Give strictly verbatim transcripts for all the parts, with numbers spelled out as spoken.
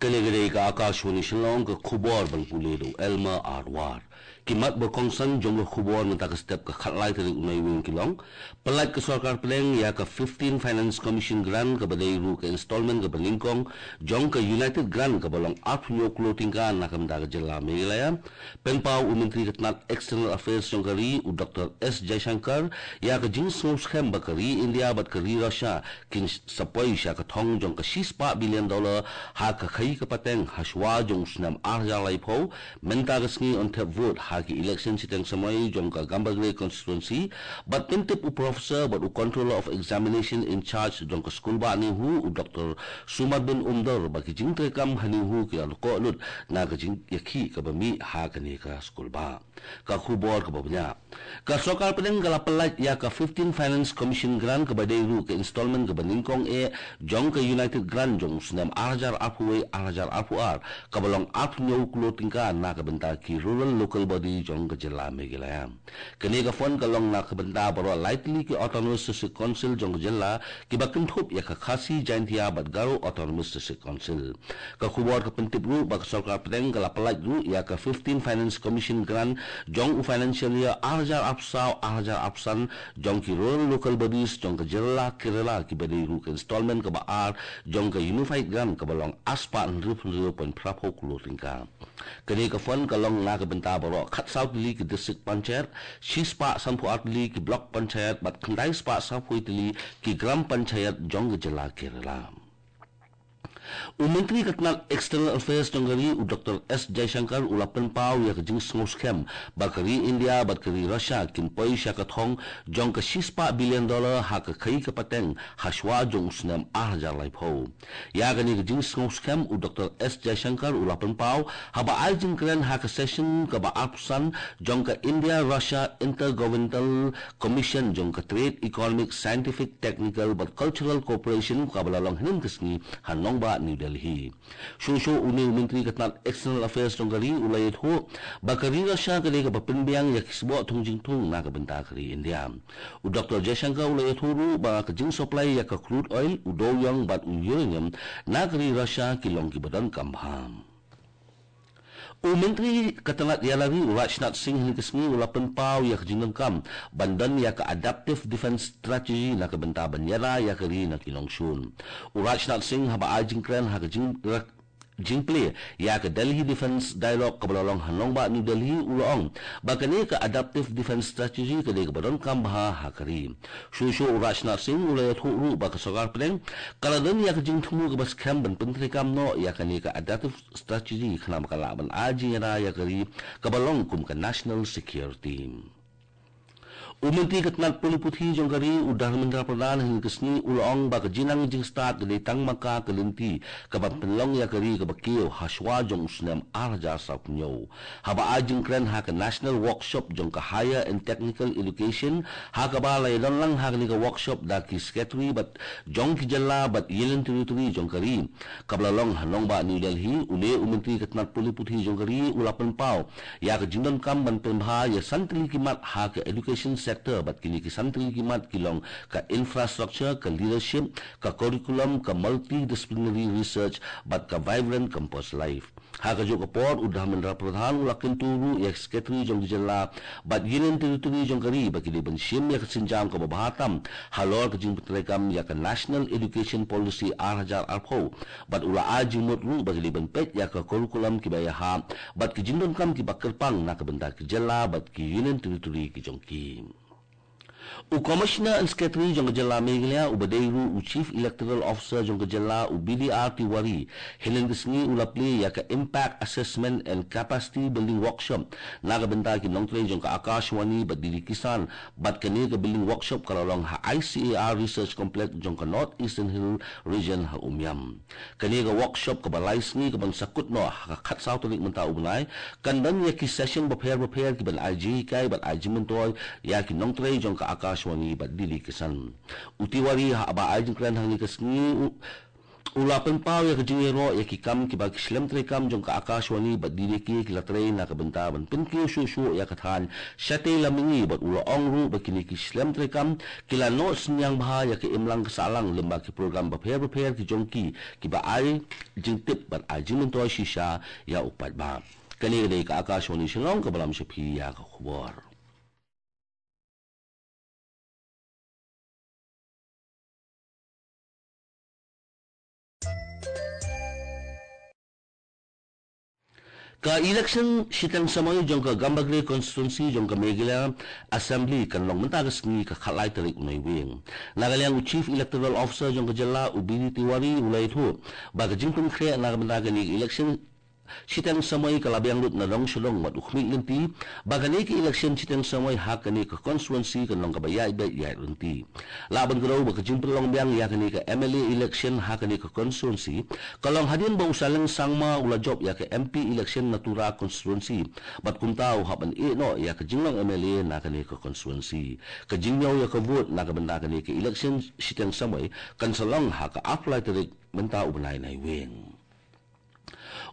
Kane ka dei ka Akashvani Shillong, ka khubor ban pule da u Elmer Arwar. Ki mat ba kongsan jong ka khubor mynta ka step ka khatlai tarik u Naiwieng ki long: Pyllait ka sorkar pdeng ïa ka fifteen Finance Commission Grant kaba dei ruh ka installment kaba nyngkong jong ka United Grant kaba long arphew hynñiew klur tyngka na ka bynta ka jylla Meghalaya. Pynpaw u Myntri ka tnat External Affairs jong ka ri u Doctor S Jaishankar ïa ka jingsngewskhem ba ka ri India bad ka ri Russia kin sa poi sha ka thong jong ka shispah billion dollar ha ka khaïi ka pateng hashwa jong u snem ar hajar laiphew, mynta ka sngi yn thep vote ha ki election shiteng samoi jong ka Gambegre constituency, bad pyntip u professor bad u controller of examination in charge jong ka skulbah NEHU u Doctor Sumar bin Umdor ba ki jingtreikam ha NEHU ki la koh lut na ka jingïakhih kaba mih ha kane ka skulbah. Ka khubor kaba bniah. Ka sorkar pdeng ka la pyllait ïa ka fifteen Finance Commission Grant kaba dei ruh ka installment kaba nyngkong eh jong ka United Grant jong u snem ar hajar arphew wei ar hajar arphew ar, kaba long arphew hynñiew klur tyngka na ka bynta ki rural local body jong ka jylla Meghalaya. Kane ka fund ka long na ka bynta baroh lai tylli ki Autonomous District Council jong ka jylla kiba kynthup ïa ka Khasi Jaintia bad Garo Autonomous District Council. Ka khubor ka pyntip ruh ba ka sorkar pdeng ka la pyllait ruh ïa ka fifteen Finance Commission Grant jong u financial year ar hajar arphew saw ar hajar arphew san jong ki rural local bodies jong ka jylla Kerala kiba dei ruh ka installment kaba ar jong ka Unified Grant kaba long arspah hynriew hynriew point phra phew klur tyngka. Kane ka fund ka long na ka bynta baroh khatsaw tylli ki district panchayat, shispah sanphew ar tylli ki block panchayat bad khyndai spah sawphew tylli ki gram panchayat jong ka jylla Kerala. U Myntri ka tnat External Affairs jong ka ri u Doctor S Jaishankar u la pynpaw ïa ka jingsngewskhem ba ka ri India bad ka ri Russia kin poi sha ka thong jong ka shispah billion dollar ha ka khaïi ka pateng hashwa jong u snem ar hajar laiphew. Ïa kane ka jingsngewskhem u Doctor S Jaishankar u la pynpaw haba ai jingkren ha ka session kaba arphew san jong ka India Russia Intergovernmental Commission jong ka Trade, Economic, Scientific, Technical bad Cultural Cooperation kaba la long hynnin ka sngi ha nongbah New Delhi. Shuh shuh une u Myntri ka tnat External Affairs jong ka ri u la ïathuh ba ka ri Russia ka dei kaba pynbiang ïa ki sboh thung jingthung na ka bynta ka ri India. U Doctor Jaishankar u la ïathuh ruh ba ka jingsupply ïa ka crude oil, u dewiong bad u uranium na ka ri Russia ki long kiba donkam bha. U Myntri ka tnat ïalari u Rajnath Singh hynnin ka sngi u la pynpaw ïa ka jingdonkam ban don ïa ka Adaptive Defence Strategy na ka bynta ban ïada ïa ka ri na ki nongshun. U Rajnath Singh haba ai jingkren ha ka jing jingplie ïa ka Delhi Defence Dialogue kaba la long ha nongbah New Delhi u la ong ba kane ka Adaptive Defence Strategy ka dei kaba donkam bha ha ka ri. Shuh shuh u Rajnath Singh u la ïathuh ruh ba ka sorkar pdeng ka la don ïa ka jingthmu kaba skhem ban pyntreikam noh ïa kane ka Adaptive Strategy khnang ba kan lah ban ai jingïada ïa ka ri kaba long kum ka national security. U Myntri ka tnat pule puthi jong ka ri u Dharmendra Pradhan hynnin ka sngi u la ong ba ka jingnang jingstad ka dei tang ma ka ka lynti kaban pynlong ïa ka ri kaba kiew hashwa jong u snem ar hajar sawphew hynñiew. Haba ai jingkren ha ka National Workshop jong ka Higher and Technical Education ha kaba la ïadon lang ha kane ka workshop da ki secretary bad jong ki jylla bad Union Territory jong ka ri kaba la long ha nongbah New Delhi, une u Myntri ka tnat pule puthi jong ka ri u la pynpaw ïa ka jingdonkam ban pynbha ïa san tylli ki mat ha ka education sector bad kine ki san tylli ki mat ki long ka infrastructure, ka leadership, ka curriculum, ka multidisciplinary research bad ka vibrant campus life. Ha kajuh ka por u Dharmendra Pradhan u la kyntu ruh ïa ki secretary jong ki jylla bad Union Territory jong ka ri ba ki dei ban shim ïa ka sienjam kaba bha tam halor ka jingpyntreikam ïa ka National Education Policy ar hajar arphew bad u la ai jingmut ruh ba ki dei ban peit ïa ka curriculum kiba ïahap bad ki jingdonkam kiba kyrpang na ka bynta ki jylla bad ki Union Territory ki jong ki. U Commissioner and Secretary jong ka jylla Meghalaya uba dei ruh u Chief Electoral Officer jong ka jylla u B D R Tiwari hynnin ka sngi u la plie ïa ka Impact Assessment and Capacity Building Workshop na ka bynta ki nongtrei jong ka Akashvani bad D D Kisan bad kane ka building workshop ka la long ha I C A R Research Complex jong ka North Eastern Hill Region ha Umiam. Kane ka workshop kaba lai sngi kaban sa kut noh ha ka khatsaw tarik mynta u bnai kan don ïa ki session bapher bapher kiban ai jinghikai bad ai jingmyntoi ïa ki nongtrei jong ka Akashvani bad D D Kisan. U Tiwari haba ai jingkren ha kane ka sngi u U la pynpaw ïa ka jingïaroh ïa ki kam kiba ki shlem treikam jong ka Akashvani bad D D K ki la trei na ka bynta ban pynkiew shuh shuh ïa ka thaiñ shatei lam mihngi, bad u la ong ruh ba kine ki shlem treikam ki la noh synñiang bha ïa ka imlang ka sahlang lyngba ki program bapher bapher ki jong ki, kiba ai jingtip bad ai jingmyntoi shisha ïa u paidbah. Kane ka dei ka Akashvani Shillong kaba lam sha phi ïa ka khubor. Ka election shiteng samoi jong ka Gambegre constituency jong ka Meghalaya Assembly kan long mynta ka sngi ka khatlai tarik u Naiwieng. Na ka liang u Chief Electoral Officer jong ka jylla u B D Tiwari u la ïathuh ba ka jingpynkhreh na ka bynta kane ka election shiteng samoi ka la biang lut na dong sha dong, bad u khmih lynti ba kane ka election shiteng samoi ha kane ka constituency kan long kaba ïaid beit ïaid lynti. Lah ban kdew ba ka jingpynlong biang ïa kane ka M L A election ha kane ka constituency ka long hadien ba u Saleng Sangma u la jop ïa ka M P election na Tura constituency, bad kumta u hap ban ïeh noh ïa ka jinglong M L A na kane ka constituency. Ka jingñiew ïa ka vote na ka bynta kane ka election shiteng samoi kan sa long ha ka arphew lai tarik mynta u bnai Naiwieng.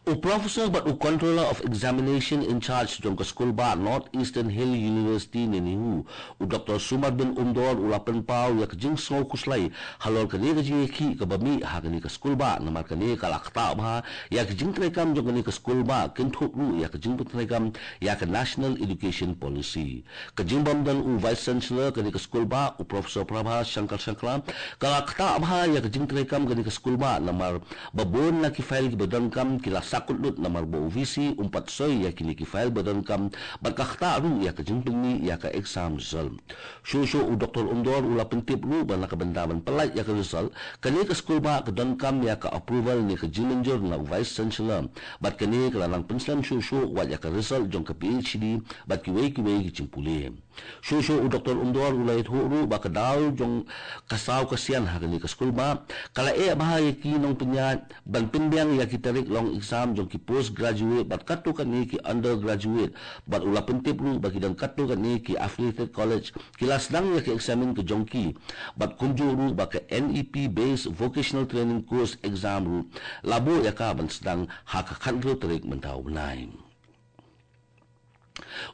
U Professor bad u Controller of Examination in Charge jong ka skulbah North Eastern Hill University ne NEHU, u Doktor Sumar bin Umdor u la pynpaw ïa ka jingsngew khuslai halor kane ka jingïakhih kaba mih ha kane ka skulbah, namar kane ka la ktah bha ïa ka jingtreikam jong kane ka skulbah, kynthup ruh ïa ka jingpyntreikam ïa ka National Education Policy. Ka jingbym don u Vice Chancellor kane ka skulbah, u Professor Prabha Shankar Shankar, ka la ktah bha ïa ka jingtreikam kane ka skulbah, namar ba bun na ki file kiba donkam ki la sakut lut namar ba u V C um pat soi ïa kine ki file ba donkam, bad ka ktah ruh ïa ka jingpynmih ïa ka exam result. Shuh shuh u Doktor Umdor u la pyntip ruh ba na ka bynta ban pyllait ïa ka result, kane ka skulbah ka donkam ïa ka approval ne ka jingmynjur na u Vice Chancellor, bad kane ka la nang pynslem shuh shuh wat ïa ka result jong ka P H D bad kiwei kiwei ki jingpule. Shuh shuh u Doktor Umdor u la ïathuh ruh ba ka daw jong ka saw ka sian ha kane ka skulbah ka la eh bha ïa ki nongpynïaid ban pynbiang ïa ki tarik long exam jong ki post graduate bad katto katne ki undergraduate, bad u la pyntip ruh ba ki don katto katne ki affiliated college ki la sdang ïa ka eksamin ka jong ki, bad kumjuh ruh ba ka N E P based vocational training course exam ruh la buh ïa ka ban sdang ha ka khathynriew tarik mynta u bnai.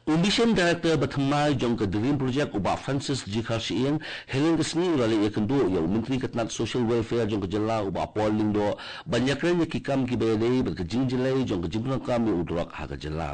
U Mission Director ba thymmai jong ka Dream Project u Bah Francis G Kharshiing, hynnin ka sngi u la leit ïakynduh ïa u Myntri ka tnat Social Welfare jong ka jylla u Bah Paul Lyngdoh ban ïakren ïa ki kam kiba ïadei bad ka jingjyllei jong ka jingpyndonkam ïa u drok ha ka jylla.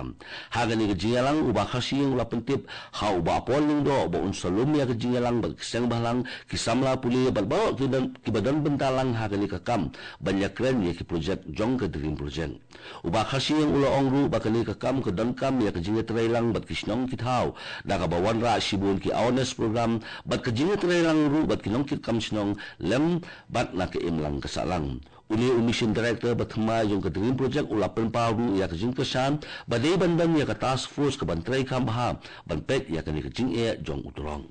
Ha kane ka jingïalang u Bah Kharshiing u la pyntip ha u Bah Paul Lyngdoh ba un sa lum ïa ka jingïalang bad ki seng bhalang, ki samla pule bad baroh ki don, kiba don bynta lang ha kane ka kam ban ïakren ïa ki projek jong ka Dream Project. U Bah Kharshiing u la ong ruh ba kane ka kam ka donkam ïa ka jingïatreilang bad ki shnong ki thaw, da kaba wanrah shibun ki awareness program bad ka jingïatreilang ruh bad ki nongkitkam shnong lem bad na ka imlang ka sahlang. Une u Mission Director ba thymmai jong ka Dream Project u la pynpaw ruh ïa ka jingkyrshan ba dei ban don ïa ka task force kaban trei kham bha ban peit ïa kane ka jingeh jong u drok.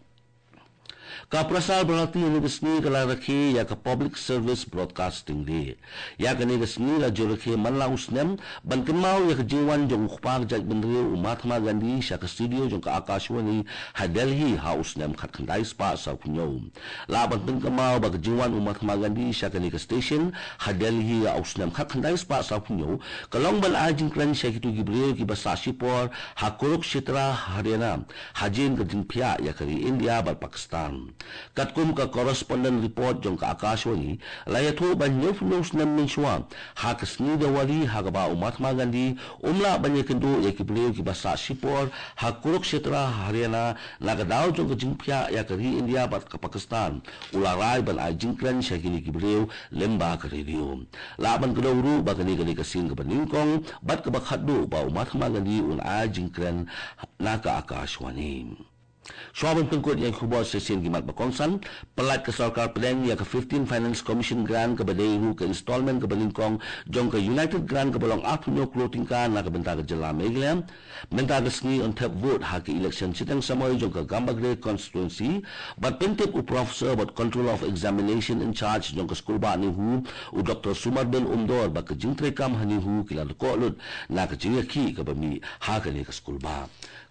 Ka Prasar Bharati hynne ka sngi ka la rakhe ïa ka Public Service Broadcasting Day. Ïa kane ka sngi la ju rakhe man la u snem ban kynmaw ïa ka jingwan jong u kpa ka jaitbynriew u Mahatma Gandhi sha ka studio jong ka Akashvani ha Delhi ha u snem khatkhyndai spah sawphew hynñiew. Lah ban pynkynmaw ba ka jingwan u Mahatma Gandhi sha kane ka station ha Delhi ha u snem khatkhyndai spah sawphew hynñiew ka long ban ai jingkren sha kito ki briew kiba sah shipor ha Kurukshetra, Haryana, ha jingkren jingphiah ïa ka ri India bad Pakistan. Katkum ka correspondent report jong ka Akashvani, la ïathuh ba hynñiewphew snem mynshuwa, ha ka sngi Dewari ha kaba u Mahatma Gandhi um lah ban ïakynduh ïa ki briew kiba sah shipor ha Kurukshetra, Haryana, na ka daw jong ka jingphiah ïa ka ri India bad ka Pakistan, u la rai ban ai jingkren sha kine ki briew lyngba ka radio. Lah ban kdew ruh ba kane ka dei ka sien kaba nyngkong bad kaba khatduh ba u Mahatma Gandhi un ai jingkren na ka Akashvani. Shuwa ban pynkut ïa ki khubor, shisien ki mat ba kongsan. Pyllait ka sorkar pdeng ïa ka fifteen Finance Commission grant kaba dei ruh ka installment kaba nyngkong jong ka United Grant kaba long arphew hynñiew klur tyngka na ka bynta ka jylla Meghalaya. Mynta ka sngi yn thep vote ha ka election shiteng samoi jong ka Gambegre constituency, bad pyntip u Professor bad Controller of Examination in Charge jong ka skulbah NEHU, u Doktor Sumar bin Umdor, ba ka jingtreikam ha NEHU ki la dkoh lut na ka jingïakhih kaba mih ha kane ka skulbah.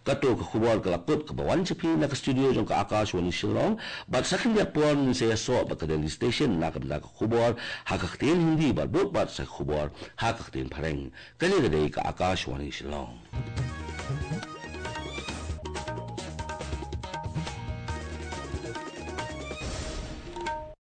Kato ka khubor ka la kut kaba wan sha phi na ka studio jong ka Akashvani Shillong, bad sa khyndiat por ngin sa ïasoh bad ka Delhi Station na ka bynta ka khubor ha ka ktien Hindi bad bud bad sa khubor ha ka ktien Phareng. Kane ka dei ka Akashvani Shillong.